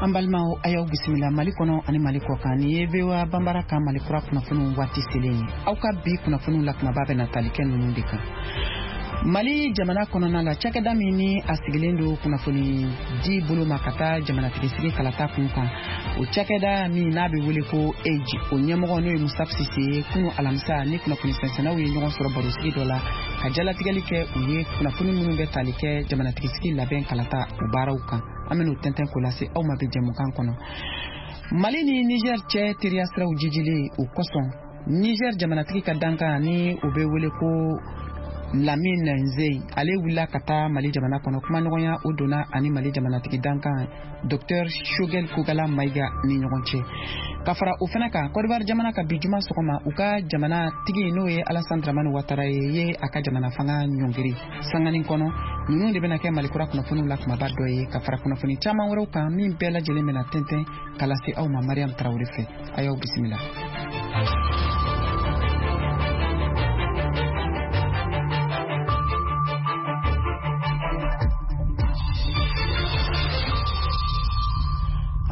An balimaw, a y'aw bisimila Mali kɔnɔ ani Mali kɔ kan. Nin ye VOA Banbara ka Mali kura kunnafoniw waati selen ye. Aw ka bi kunnafoniw la kumaba bɛna tali kɛ ninnu de kan. Mali jamana kɔnɔna la, cakɛda min ni a sigilen don kunnafoni di bolo ma ka taa jamanatigisigi kalata kun kan, o cakɛda min n'a bɛ wele ko AIGE, o ɲɛmɔgɔ n'o ye Mustapha Sise ye, kunu alamisa ni kunnafoni sɛnsɛnnaw ye ɲɔgɔn sɔrɔ barosigi dɔ la ka jalatigɛli kɛ u ye kunnafoni minnu bɛ tali kɛ jamanatigisigi labɛn kalata o baaraw kan. An bɛn'o tɛntɛn k'o lase aw ma bi jɛmukan kɔnɔ. Mali ni Niger cɛ teriya siraw jijilen o kosɔn, Niger jamanatigi ka dankan ni o bɛ wele ko Lamine Zeyi, ale wulila ka taa Mali jamana kɔnɔ. Kumaɲɔgɔnya o donna ani Mali jamanatigi dankan Dr Choguel Kokalla Maïga ni ɲɔgɔn cɛ. Ka fara o fana kan, Côte d'Ivoire jamana ka bi juma sɔgɔma, u ka jamana tigi n'o ye Alassane Dramane Ouattara ye a ka jamana fanga ɲɔngiri sanganin kɔnɔ. Ninnu de bɛna kɛ Mali kura kunnafoniw la kumaba dɔ ye, ka fara kunnafoni caman wɛrɛw kan min bɛɛ lajɛlen bɛna tɛntɛn ka lase aw ma Mariam Traoré fɛ. A y'aw bisimila.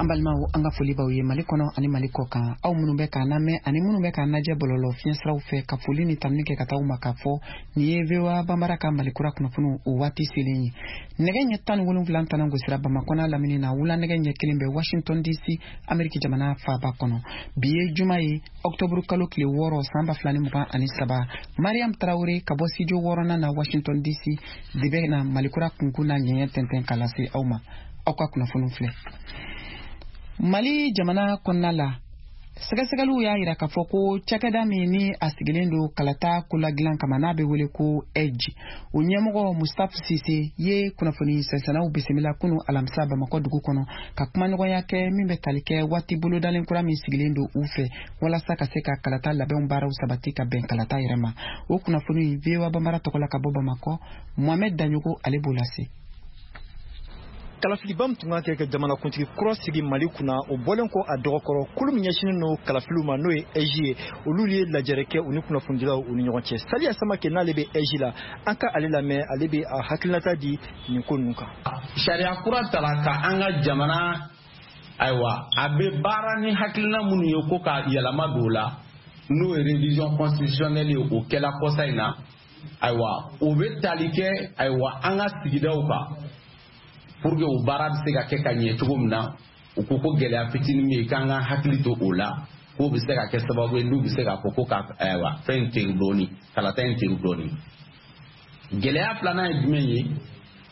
An balimaw, an ka foli b'aw ye Mali kɔnɔ ani Mali kɔ kan. Aw minnu bɛ k'an lamɛn ani minnu bɛ k'an lajɛ bɔlɔlɔ fiɲɛsiraw fɛ, ka foli ni tanuni kɛ ka taa aw ma k'a fɔ nin ye VOA Banbara ka Mali kura kunnafoniw o waati selen ye. Nɛgɛ ɲɛ 17 tana gosira Bamakɔ n'a lamini na, wula nɛgɛ ɲɛ 1 bɛ Washington DC, Ameriki jamana faaba kɔnɔ. Bi ye juma ye, ɔktɔburu kalo tile 6, san 2023. Mariam Traoré ka bɔ studio 6nan na Washington DC de bɛ na Mali kura kunkun n'a ɲɛɲɛ tɛntɛn ka lase aw ma. Aw ka kunnafoniw filɛ. Mali jamana kɔnɔna la, sɛgɛsɛgɛliw y'a yira k'a fɔ ko cakɛda min ni a sigilen don kalata koladilan kama n'a bɛ wele ko AIGE, o ɲɛmɔgɔ Mustapha Sise ye kunnafoni sɛnsɛnnaw bisimila kunu alamisa Bamakɔ dugu kɔnɔ ka kumaɲɔgɔnya kɛ min bɛ tali kɛ waati bolodalen kura min sigilen don u fɛ walasa ka se ka kalata labɛnw baaraw sabati ka bɛn kalata yɛrɛ ma. O kunnafoni, VOA Banbara tɔgɔ la ka bɔ Bamakɔ, Mohamed Daɲogo ale b'o lase. Kalafiliba min tun kan kɛ ka jamanakuntigi kura sigi Mali kunna, o bɔlen kɔ a dɔgɔkɔrɔ, kulu min ɲɛsinnen don kalafiliw ma, n'o ye AIGE ye, olu ye lajɛrɛ kɛ u ni kunnafonidilaw u ni ɲɔgɔn cɛ. Saliya Samake n'ale bɛ AIGE la, an ka ale lamɛn, ale bɛ a hakilinata di nin ko ninnu kan. Sariya kura tara ka an ka jamana, ayiwa, a bɛ baara ni hakilina minnu ye ko ka yɛlɛma don o la, n'o ye révision constitutionnelle ye, o kɛla kɔsa in na. Ayiwa, o bɛ tali kɛ, ayiwa, an ka sigidaw kan pour que o baara bɛ se ka kɛ ka ɲɛ cogo min na. U ko ko gɛlɛya fitinin bɛ yen k'an ka hakili to o la, k'o bɛ se ka kɛ sababu ye n'u bɛ se k'a fɔ ko ka, ayiwa, fɛn in teri dɔɔni, kalata in teri dɔɔni. Gɛlɛya filanan ye jumɛn ye?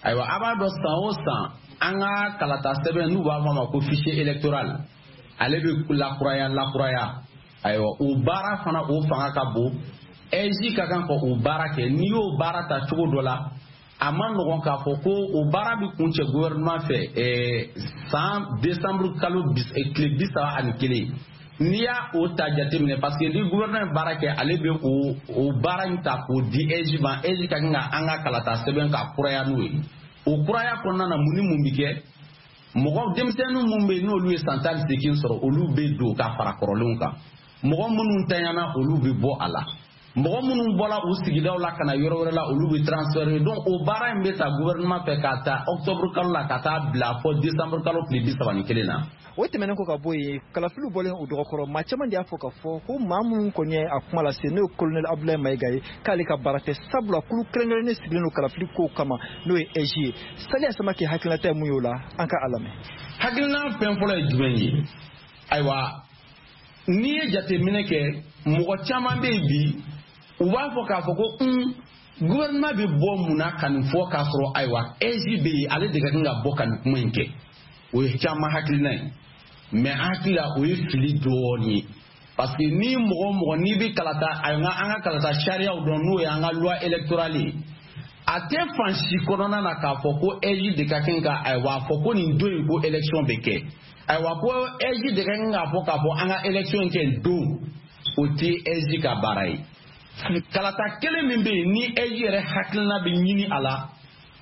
Ayiwa, a b'a dɔn san o san an ka kalata sɛbɛn n'u b'a fɔ a ma ko fichier électoral, ale bɛ lakuraya lakuraya. Ayiwa, o baara fana o fanga ka bon. AIGE ka kan ka o baara kɛ. N'i y'o baara ta cogo dɔ la, a ma nɔgɔn k'a fɔ ko o baara bɛ kuncɛ gouvernement fɛ san décembre kalo tile 31. N'i y'a o ta jateminɛ, parce que ni gouvernement ye baara kɛ, ale bɛ o baara in ta k'o di AIGE ma. AIGE ka kan ka an ka kalata sɛbɛn ka kuraya n'o ye. O kuraya kɔnɔna na, mun ni mun bɛ kɛ? Mɔgɔ denmisɛnnin minnu bɛ yen n'olu ye san 18 sɔrɔ, olu bɛ don ka fara kɔrɔlenw kan. Mɔgɔ minnu tanyana, olu bɛ bɔ a la. Mɔgɔ minnu bɔra u sigidaw la ka na yɔrɔ wɛrɛ la, olu bɛ transférer. Donc o baara in bɛ ta gouvernement fɛ k'a ta octobre kalo la ka taa bila fɔ décembre kalo tile 31 na. O tɛmɛnen kɔ ka bɔ yen, kalafiliw bɔlen o dɔgɔkɔrɔ, maa caman de y'a fɔ k'a fɔ ko maa minnu kɔni ye a kuma lase, n'o ye colonel Abdoulaye Maïga ye, k'ale ka baara tɛ, sabula kulu kɛrɛnkɛrɛnnen sigilen don kalafili kow kama, n'o ye AIGE ye. Saliya Samake hakilinata ye mun ye o la? An ka a lamɛn. Hakilina fɛn fɔlɔ ye jumɛn ye? Ayiwa, n'i ye jateminɛ kɛ, mɔgɔ caman bɛ yen bi, u b'a fɔ k'a fɔ ko gouvernement bɛ bɔ mun na ka nin fɔ k'a sɔrɔ, ayiwa, AIGE bɛ yen, ale de ka kan ka bɔ ka nin kuma in kɛ. O ye caman hakilina ye, mais an hakili la o ye fili dɔɔnin ye, parce que ni mɔgɔ o mɔgɔ n'i bɛ kalata, ayiwa, an ka kalata sariyaw dɔn, n'o ye an ka loi électorale ye, a tɛ fan si kɔnɔna na k'a fɔ ko AIGE de ka kan ka, ayiwa, a fɔ ko nin don in ko élection bɛ kɛ. Ayiwa, ko AIGE de ka kan k'a fɔ k'a fɔ an ka élection kɛ don, o tɛ AIGE ka baara ye. Kalata kelen min bɛ yen ni AIGE yɛrɛ hakilina bɛ ɲini a la,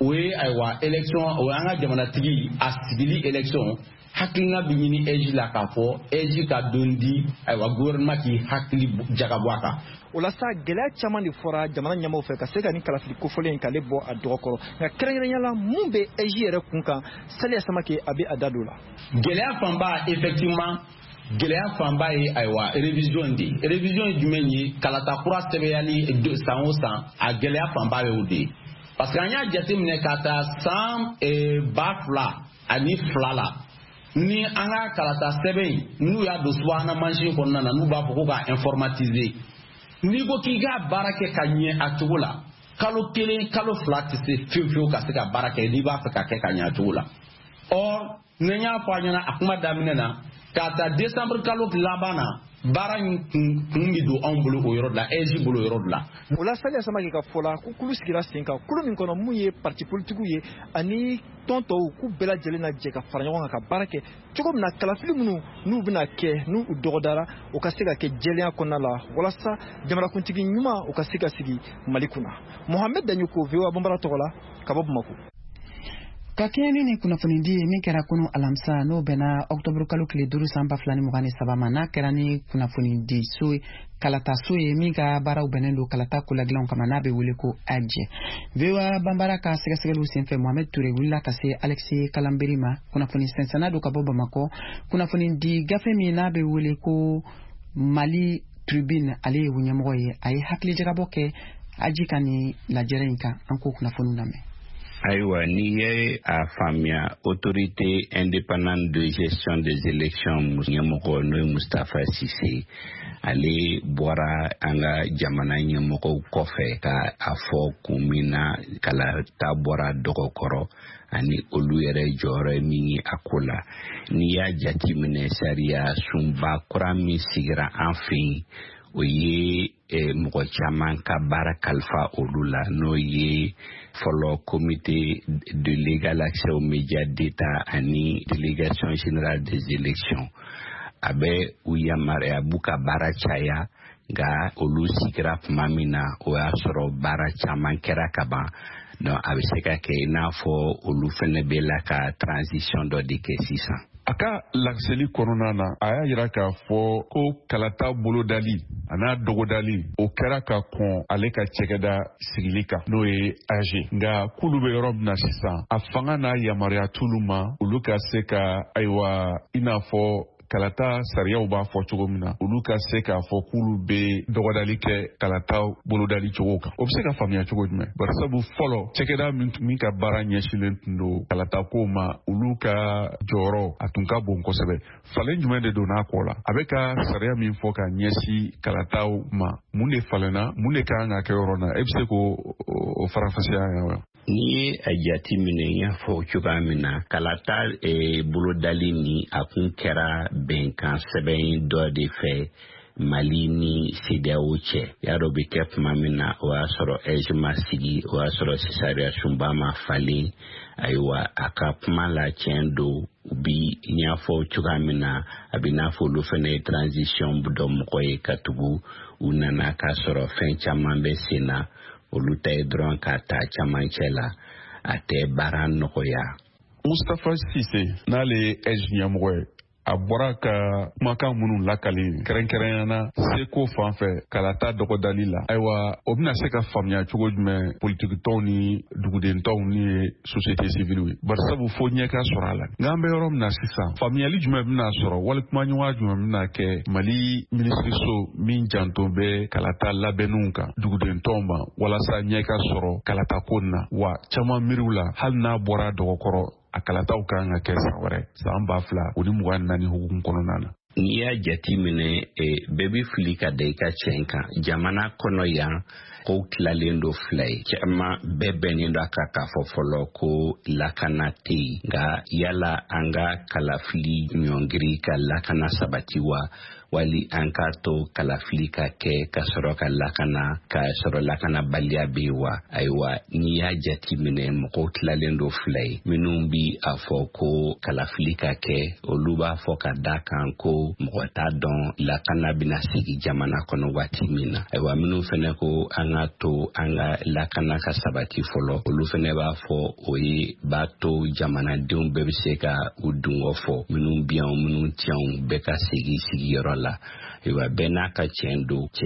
o ye, ayiwa, élection, o ye an ka jamanatigi a sigili élection. Hakilina bɛ ɲini AIGE la k'a fɔ AIGE ka don di, ayiwa, gouvernement k'i hakili jagabɔ a kan. O la sa, gɛlɛya caman de fɔra jamana ɲɛmaaw fɛ ka se ka nin kalafili kofɔlen in k'ale bɔ a dɔgɔkɔrɔ. Nka kɛrɛnkɛrɛnya la, mun bɛ AIGE yɛrɛ kun kan? Saliya Samake, a bɛ a da don la. Gɛlɛya fanba, effectivement, gɛlɛya fanba ye, ayiwa, révision de ye. Révision ye jumɛn ye? Kalata kura sɛbɛyali san o san, a gɛlɛya fanba ye o de ye, parce que an y'a jateminɛ ka taa san 2002 la, ni an ka kalata sɛbɛn in, n'u y'a don subahana mansin kɔnɔna na, n'u b'a fɔ ko k'a informatiser, n'i ko k'i k'a baara kɛ ka ɲɛ a cogo la, kalo 1, kalo 2 tɛ se fiyewu fiyewu ka se ka baara kɛ n'i b'a fɛ ka kɛ ka ɲɛ a cogo la. Or, ni n y'a fɔ a ɲɛna a kuma daminɛ na, k'a ta décembre kalo laban na, baara in kun bɛ don anw bolo o yɔrɔ de la, AIGE bolo o yɔrɔ de la. O la, Saliya Samake ka fɔ la, ko kulu sigira sen kan, kulu min kɔnɔ mun ye parti politikiw ye ani tɔn tɔw, k'u bɛɛ lajɛlen na jɛ ka fara ɲɔgɔn kan ka baara kɛ cogo min na, kalafili minnu n'u bɛna kɛ, n'u dɔgɔdara, o ka se ka kɛ jɛlenya kɔnɔna la, walasa jamanakuntigi ɲuman o ka se ka sigi Mali kunna. Mohamed Daɲoko, VOA Banbara tɔgɔ la, ka bɔ Bamako. Ka kɛɲɛ ni nin kunnafonidi ye min kɛra kunu alamisa, n'o bɛnna ɔktɔburu kalo tile 5 san 2023 ma, n'a kɛra ni kunnafonidi so kalataso ye min ka baaraw bɛnnen don kalata koladilanw kama, n'a bɛ wele ko AIGE, VOA Banbara ka sɛgɛsɛgɛliw senfɛ, Mohamed Ture wulila ka se Alexis Kalanberi ma, kunnafoni sɛnsɛnna don ka bɔ Bamakɔ, kunnafonidi gafe min n'a bɛ wele ko Mali Tribune, ale ye ɲɛmɔgɔ ye. A ye hakilijagabɔ kɛ AIGE ka nin lajɛrɛ in kan. An k'o kunnafoniw lamɛn. Ayiwa, n'i ye a faamuya, Autorité indépendante de gestion des élections ɲɛmɔgɔ, n'o ye Mustapha Cissé, ale bɔra an ka jamana ɲɛmɔgɔw kɔfɛ ka a fɔ kun min na kalata bɔra dɔgɔkɔrɔ ani olu yɛrɛ jɔyɔrɔ ye min ye a ko la. N'i y'a jateminɛ, sariya sunba kura min sigira an fɛ yen, o ye mɔgɔ caman ka baara kalifa olu la, n'o ye fɔlɔ Comité de l'égal accès aux médias d'État ani Délégation générale des élections. A bɛ u yamaruya, a b'u ka baara caya. Nka olu sigira tuma min na, o y'a sɔrɔ baara caman kɛra ka ban. Donc a bɛ se ka kɛ i n'a fɔ olu fɛnɛ bɛ la ka transition dɔ de kɛ sisan. A ka laseli kɔnɔna na, a y'a yira k'a fɔ ko kalata bolodali a n'a dɔgɔdali, o kɛra ka kɔn ale ka cɛkɛda sigili kan, n'o ye AIGE. Nka k'olu bɛ yɔrɔ min na sisan, a fanga n'a yamaruya t'olu ma olu ka se ka, ayiwa, i n'a fɔ kalata sariyaw b'a fɔ cogo min na, olu ka se k'a fɔ k'olu bɛ dɔgɔdali kɛ kalata bolodali cogo kan. O bɛ se ka faamuya cogo jumɛn? Barisabu fɔlɔ, cɛkɛda min ka baara ɲɛsinnen tun don kalata kow ma, olu ka jɔyɔrɔ a tun ka bon kosɛbɛ. Falen jumɛn de donna a kɔ la? A bɛ ka sariya min fɔ ka ɲɛsin kalataw ma, mun de falenna? Mun de ka kan ka kɛ yɔrɔ na? E bɛ se k'o o faranfasiya yan wa? N'i ye a jate minɛ, n y'a fɔ cogoya min na, kalata bolodali ni a kun kɛra bɛnkan sɛbɛn dɔ de fɛ Mali ni CEDEAO cɛ. Y'a dɔn, bɛ kɛ tuma min na, o y'a sɔrɔ AIGE ma sigi, o y'a sɔrɔ sariya sunba ma falen. Ayiwa, a ka kuma la, tiɲɛ don, u bi n y'a fɔ cogoya min na, a bɛ n'a fɔ olu fana ye transition dɔ mɔgɔ ye, ka tugu u nana k'a sɔrɔ fɛn caman bɛ sen na. Olu ta ye dɔrɔn k'a ta camancɛ la, a tɛ baara nɔgɔya. Mustapha Cissé, n'ale ye AIGE ɲɛmɔgɔ ye, a bɔra ka kumakan minnu lakali, kɛrɛnkɛrɛnya na seko fan fɛ kalata dɔgɔdali la, ayiwa, o bɛna se ka faamuya cogo jumɛn politikitɔnw ni dugudentɔnw ni ye société civile ye? Barisabu fo ɲɛ ka sɔrɔ a la. Nka an bɛ yɔrɔ min na sisan, faamuyali jumɛn bɛna sɔrɔ, wali kumaɲɔgɔnya jumɛn bɛna kɛ Mali minisiriso min janto bɛ kalata labɛnniw kan dugudentɔnw ma, walasa ɲɛ ka sɔrɔ kalata ko na wa? Caman miiriw la, hali n'a bɔra dɔgɔkɔrɔ, a kalataw kan ka kɛ san wɛrɛ, san 2024 hukumu kɔnɔna na. N'i y'a jate minɛ, bɛɛ bɛ fili ka da i ka tiɲɛ kan. Jamana kɔnɔ yan, kow tilalen don fila ye. Caman bɛɛ bɛnnen don a kan k'a fɔ fɔlɔ ko lakana tɛ yen. Nka yala an ka kalafili ɲɔngiri ka lakana sabati wa? Wali an k'a to kalafili ka kɛ ka sɔrɔ ka lakana, ka sɔrɔ lakanabaliya bɛ yen wa? Ayiwa, n'i y'a jateminɛ, mɔgɔw tilalen don fila ye. Minnu bi a fɔ ko kalafili ka kɛ, olu b'a fɔ ka da kan ko mɔgɔ t'a dɔn lakana bɛna segin jamana kɔnɔ waati min na. Ayiwa, minnu fɛnɛ ko an ka to an ka lakana ka sabati fɔlɔ, olu fɛnɛ b'a fɔ o ye b'a to jamanadenw bɛɛ bɛ se ka u dungɔ fɔ, minnu bi yan, minnu ti yan, bɛɛ ka segin sigiyɔrɔ la. Ayiwa, bɛɛ n'a ka tiɲɛ don, tiɲɛ.